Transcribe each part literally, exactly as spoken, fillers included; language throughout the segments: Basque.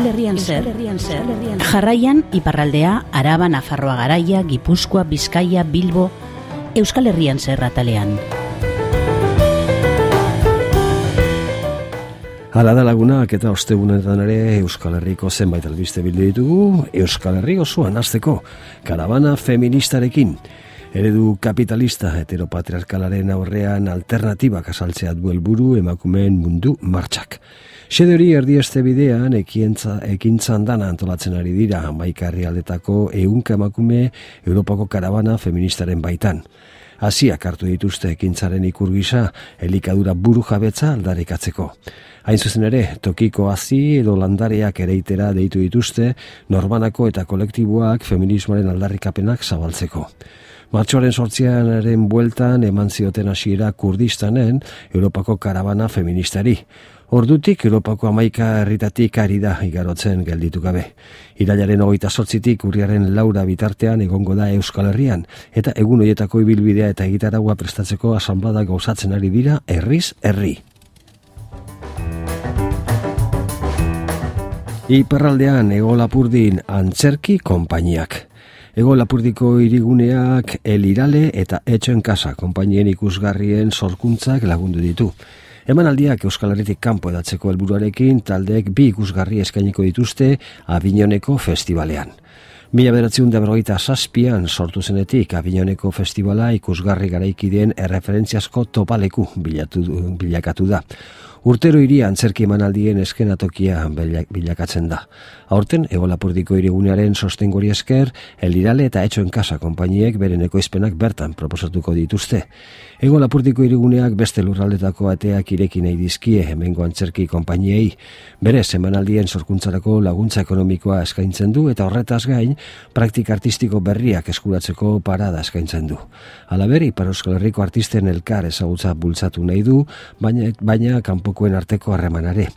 Euskal Herrian zer, jarraian iparraldea, Araba, Nafarroa Garaia, Gipuzkoa, Bizkaia, Bilbo, Euskal Herrian zer atalean. Hala da lagunak eta ostegunetan ere Euskal Herriko zenbait albiste bildu ditugu, Euskal Herri osoan hasteko karabana feministarekin. Eredu kapitalista heteropatriarkalaren aurrean alternatibak azaltzea du helburu emakumeen mundu martxak. Xede hori erdieste bidean ekientza, ekintzan dana antolatzen ari dira hamaika herrialdetako ehunka emakume Europako karabana feministaren baitan. Hasiak hartu dituzte ekintzaren ikur gisa elikadura buru jabetza aldarrikatzeko. Hain zuzen ere, tokiko hazi edo landareak ereitera deitu dituzte norbanako eta kolektiboak feminismoaren aldarrikapenak zabaltzeko. Martxoaren sortzianaren bueltan eman zioten hasiera Kurdistanen Europako karabana feministari. Ordutik Europako hamaika herritatik ari da igarotzen gelditu gabe. Irailaren hogeita zortzitik urriaren laura bitartean egongo da Euskal Herrian, eta egun horietako ibilbidea eta egitaragua prestatzeko asanblada gauzatzen ari dira herriz herri. Iparraldean Ego Lapurdin antzerki konpainiak. Ego Lapurdiko hiriguneak El Irale eta Etxoen Kasa konpainien ikusgarrien sorkuntzak lagundu ditu. Emanaldiak Euskal Herritik kanpo edatzeko helburuarekin taldeek bi ikusgarri eskainiko dituzte Avignoneko festivalean. Mila bederatziehun eta berrogeita zazpian sortu zenetik Avignoneko festivala ikusgarri garaikideen erreferentziazko topaleku bilatu, bilakatu da. Urtero hiria antzerki emanaldien eskenatokia bilakatzen da. Aurten, Ego Lapurdiko hirigunearen sostengori esker, El Irale eta Etxoen Kasa konpainiek beren ekoizpenak bertan proposatuko dituzte. Ego Lapurdiko hiriguneak beste lurraldetako ateak ireki nahi dizkie hemengo antzerki konpainiei. Berez, emanaldien sorkuntzarako laguntza ekonomikoa eskaintzen du eta horretaz gain, praktika artistiko berriak eskuratzeko parada eskaintzen du. Halaber, Ipar Euskal Herriko artisten elkar ezagutza bultzatu nahi du, baina, baina kanpokoen arteko harremanare.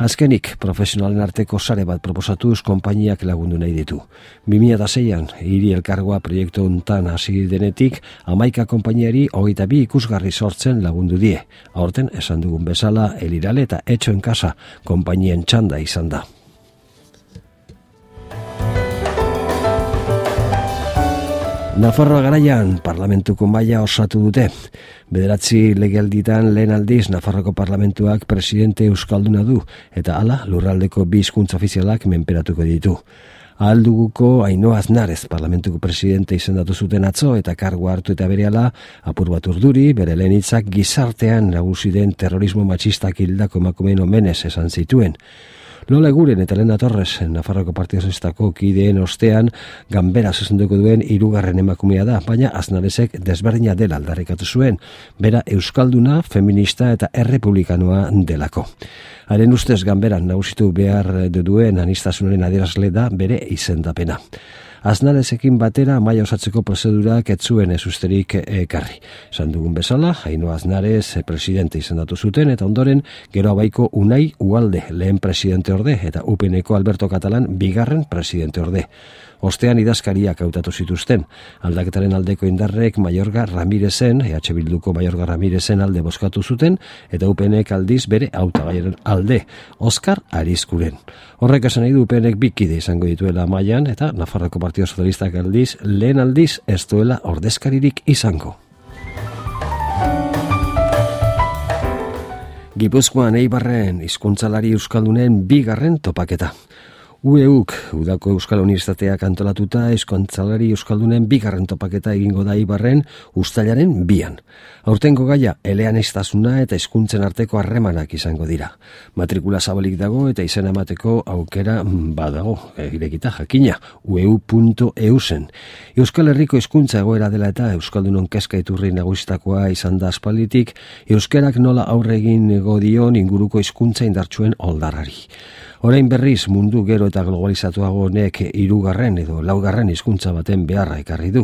Azkenik, profesionalen arteko sare bat proposatuz konpainiak lagundu nahi ditu. bi mila seian, hiri elkargoa proiektu hontan hasi denetik, hamaika konpainiari hogeita bi ikusgarri sortzen lagundu die. Aurten, esan dugun bezala, El Irale eta Etxoen Kasa konpainien txanda izan da. Nafarroa Garaian parlamentuko maila osatu dute. Bederatzi legealditan lehen aldiz Nafarroko parlamentuak presidente euskalduna du eta hala lurraldeko bi hizkuntza ofizialak menperatuko ditu. Ahalduguko Ainhoa Aznarez parlamentuko presidente izendatu zuten atzo eta kargua hartu eta berehala apur bat urduri bere lehen hitzak gizartean nagusi den terrorismo matxistak hildako emakumeen omenez esan zituen. Lola Eguren eta Lena Torres, Nafarroko Partido Sozialistako kideen ostean, ganbera zuzenduko duen hirugarren emakumea da, baina Aznarezek desberdina dela aldarrikatu zuen, bera euskalduna, feminista eta errepublikanoa delako. Haren ustez ganberan nagusitu behar duen aniztasunaren adierazle da bere izendapena. Aznarezekin batera maila osatzeko prozedurak ez zuen ez usterik ekarri. Esan dugun bezala, Ainhoa Aznarez presidente izendatu zuten eta ondoren gero abaiko Unai Ualde lehen presidente orde eta U P N-ko Alberto Katalan bigarren presidente orde. Ostean idazkariak hautatu zituzten. Aldaketaren aldeko indarrek Mayorga Ramirezen, E H Bilduko Mayorga Ramirezen alde bozkatu zuten, eta U P N-ek aldiz bere hautagaiaren alde, Oskar Arizkuren. Horrek esan nahi du U P N-ek bikide izango dituela mailan eta Nafarroko Partido Sozialistak aldiz, lehen aldiz ez duela ordezkaririk izango. Gipuzkoan Eibarren hizkuntzalari euskaldunen bigarren topaketa. U E U K, Udako Euskal Unibertsitateak antolatuta hizkuntzalari euskaldunen bigarren topaketa egingo da Eibarren uztailaren bian. Aurtengo gaia eleaniztasuna eta hizkuntzen arteko harremanak izango dira. Matrikula zabalik dago eta izena emateko aukera badago, irekita jakina, u e u puntu e u zen. Euskal Herriko hizkuntza egoera dela eta euskaldunon kezka iturri nagusitakoa izan da aspalditik, euskerak nola aurre egin dion inguruko hizkuntza indartsuen oldarrari. Orain berriz mundu gero eta globalizatuago honek hirugarren edo laugarren hizkuntza baten beharra ekarri du.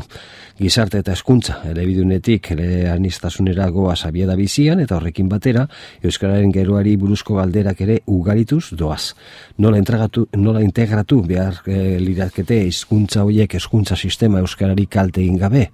Gizarte eta hezkuntza elebidunetik eleaniztasunera goaz abiada bizian eta horrekin batera euskararen geroari buruzko galderak ere ugarituz doaz. Nola, nola integratu behar e, lirakete hizkuntza horiek hezkuntza sistema euskarari kalte egin gabe?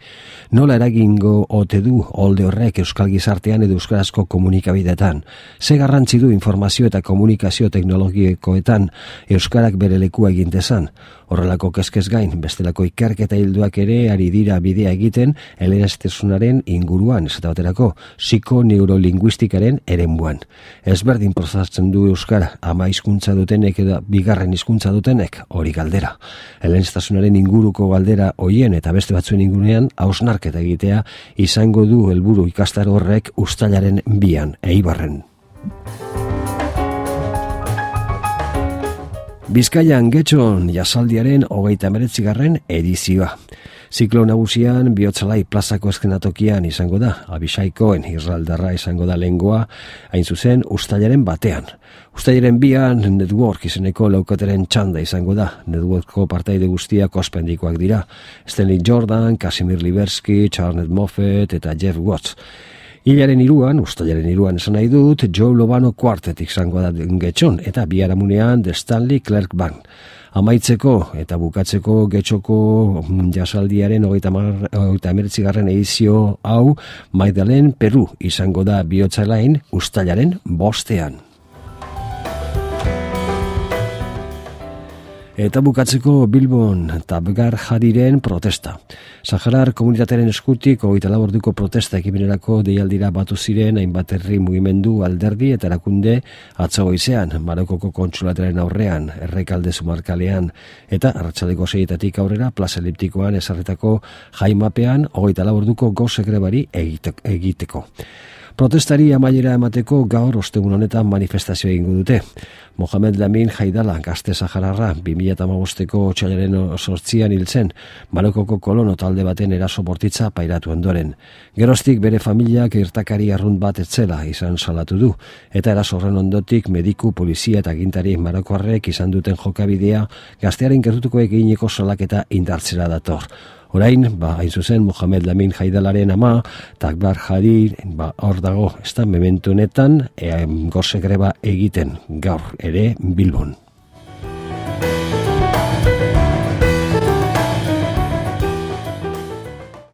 Nola eragingo ote du olde horrek euskal gizartean edo euskarazko komunikabideetan? Ze garrantzi du informazio eta komunikazio teknologikoetan euskarak bere lekua egin dezan? Horrelako kezkez gain, bestelako ikerketa hilduak ere ari dira bidea egiten eleaniztasunaren inguruan, esate baterako psikoneurolinguistikaren eremuan. Ezberdin prozatzen du euskara, ama hizkuntza dutenek edo bigarren hizkuntza dutenek, hori galdera. Eleaniztasunaren inguruko galdera hoien eta beste batzuen ingurunean hausnarketa egitea izango du helburu ikastaro horrek uztailaren bian, Eibarren. Bizkaian Getxon jasaldiaren hogeita hemeretzigarren edizioa. Ziklo nagusian Bihotzalai plazako eskenatokian izango da, Abixaikoen irraldarra izango da lehengoa, hain zuzen uztailaren batean. Uztailaren bian Network izeneko laukateren txanda izango da, Networkko partaide guztiak ospendikoak dira. Stanley Jordan, Casimir Liberski, Charles Moffett eta Jeff Watts. Hilaren iruan, uztailaren iruan esan nahi dut, Joe Lovano Quartet izango da Getxon eta biharamunean The Stanley Clark Band. Amaitzeko eta bukatzeko Getxoko jasaldiaren hogeita hemeretzigarren edizio hau Magdalen Peru izango da Bihotzalain uztailaren bostean. Eta bukatzeko Bilbon Tabgar Jadiren protesta. Saharar komunitatearen eskutik hogeita lau orduko protesta ekimenerako deialdira batu ziren hainbat herri mugimendu alderdi eta erakunde atzo goizean, Marokoko kontsulataren aurrean, Errekalde Zumarkalean eta arratsaldeko seietatik aurrera plaza eliptikoan ezarritako jaimapean hogeita lau orduko goze grebari egiteko. Protestari amaiera emateko gaur ostegun honetan manifestazio egingo dute. Mohamed Lamin Haidala, gazte sahararra, bi mila hamabosteko otsailaren zortzian hil zen, Marokoko kolono talde baten eraso bortitza pairatu ondoren. Geroztik bere familiak irtakari arrunt bat etzela izan salatu du, eta eraso horren ondotik mediku, polizia eta agintari marokoarrek izan duten jokabidea gaztearen gertutuko egineko salaketa indartzera dator. Orain, ba, hain zuzen, Mohamed Lamin Haidalaren ama, Tabgar Jadi, ba, hor dago, ez da, memento honetan, e, goze greba egiten gaur ere Bilbon.